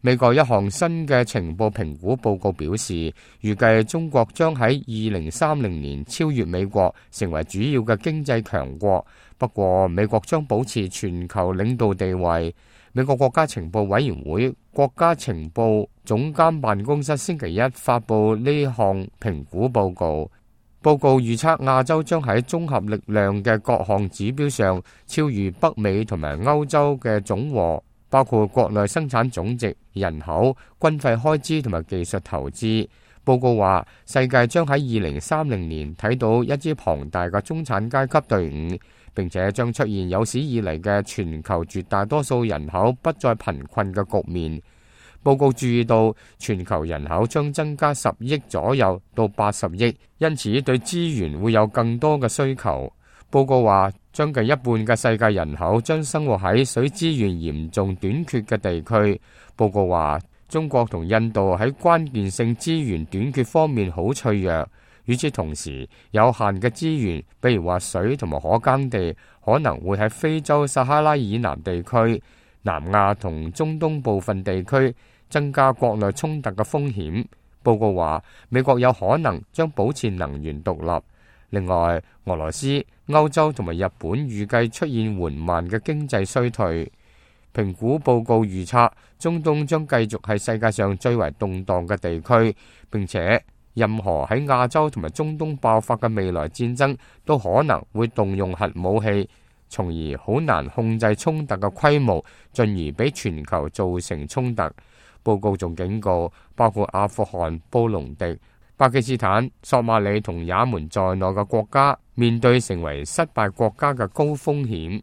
美國一項新嘅情報評估報告表示，預計中國將喺2030年超越美國，成為主要嘅經濟強國。不過，美國將保持全球領導地位。美國國家情報委員會國家情報總監辦公室星期一發布呢項評估報告。報告預測亞洲將喺綜合力量嘅各項指標上超越北美同埋歐洲嘅總和，包括國內生產總值、人口、軍費開支同埋技術投資。報告話，世界將喺2030年睇到一支龐大嘅中產階級隊伍，並且將出現有史以嚟嘅全球絕大多數人口不再貧困嘅局面。報告注意到，全球人口將增加10億左右到80億，因此對資源會有更多嘅需求。報告話，將近一半嘅世界人口將生活喺水資源嚴重短缺嘅地區。報告話，中國同印度喺關鍵性資源短缺方面好脆弱。與此同時，有限嘅資源，比如話水同埋可耕地，可能會喺非洲撒哈拉以南地區、南亞同中東部分地區增加國內衝突嘅風險。報告話，美國有可能將保持能源獨立。另外，俄羅斯、歐洲同埋日本預計出現緩慢嘅經濟衰退。評估報告預測，中東將繼續係世界上最為動盪嘅地區，並且任何喺亞洲同埋中東爆發嘅未來戰爭都可能會動用核武器，從而好難控制衝突嘅規模，進而俾全球造成衝突。報告仲警告，包括阿富汗、布隆迪、巴基斯坦、索馬里同也門在內嘅國家，面對成為失敗國家嘅高風險。